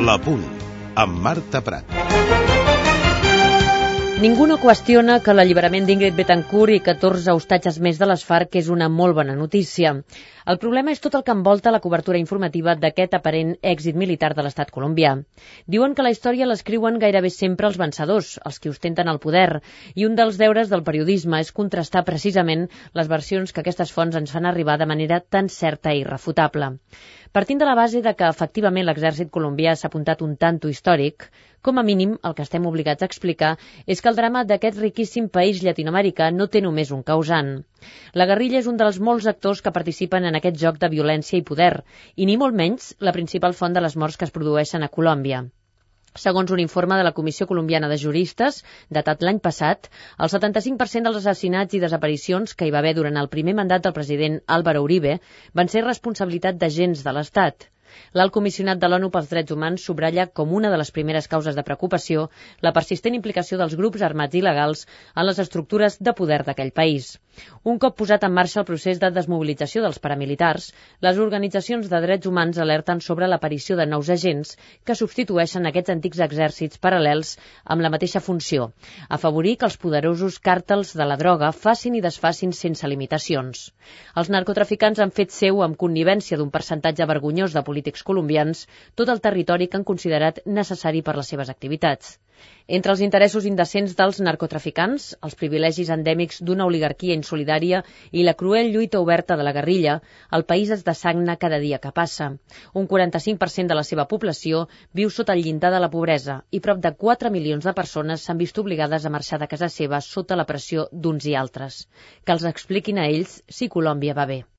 L'Apunt, amb Marta Prat. Ningú no qüestiona que l'alliberament d'Ingrid Betancourt i 14 ostatges més de les FARC és una molt bona notícia. El problema és tot el que envolta la cobertura informativa d'aquest aparent èxit militar de l'estat colombià. Diuen que la història l'escriuen gairebé sempre els vencedors, els que ostenten el poder, i un dels deures del periodisme és contrastar precisament les versions que aquestes fonts ens fan arribar de manera tan certa i irrefutable. Partint de la base de que efectivament l'exèrcit colombià s'ha apuntat un tanto històric, com a mínim el que estem obligats a explicar és que el drama d'aquest riquíssim país llatinoamericà no té només un causant. La guerrilla és un dels molts actors que participen en aquest joc de violència i poder, i ni molt menys la principal font de les morts que es produeixen a Colòmbia. Segons un informe de la Comissió Colombiana de Juristes, datat l'any passat, el 75% dels assassinats i desaparicions que hi va haver durant el primer mandat del president Álvaro Uribe van ser responsabilitat d'agents de l'Estat. L'alt comissionat de l'ONU pels Drets Humans subratlla com una de les primeres causes de preocupació la persistent implicació dels grups armats il·legals en les estructures de poder d'aquell país. Un cop posat en marxa el procés de desmobilització dels paramilitars, les organitzacions de drets humans alerten sobre l'aparició de nous agents que substitueixen aquests antics exèrcits paral·lels amb la mateixa funció, afavorir que els poderosos càrtels de la droga facin i desfacin sense limitacions. Els narcotraficants han fet seu, amb connivència d'un percentatge vergonyós de polítics colombians, tot el territori que han considerat necessari per les seves activitats. Entre els interessos indecents dels narcotraficants, els privilegis endèmics d'una oligarquia insolidària i la cruel lluita oberta de la guerrilla, el país es dessagna cada dia que passa. Un 45% de la seva població viu sota el llindar de la pobresa i prop de 4 milions de persones s'han vist obligades a marxar de casa seva sota la pressió d'uns i altres. Que els expliquin a ells si Colòmbia va bé.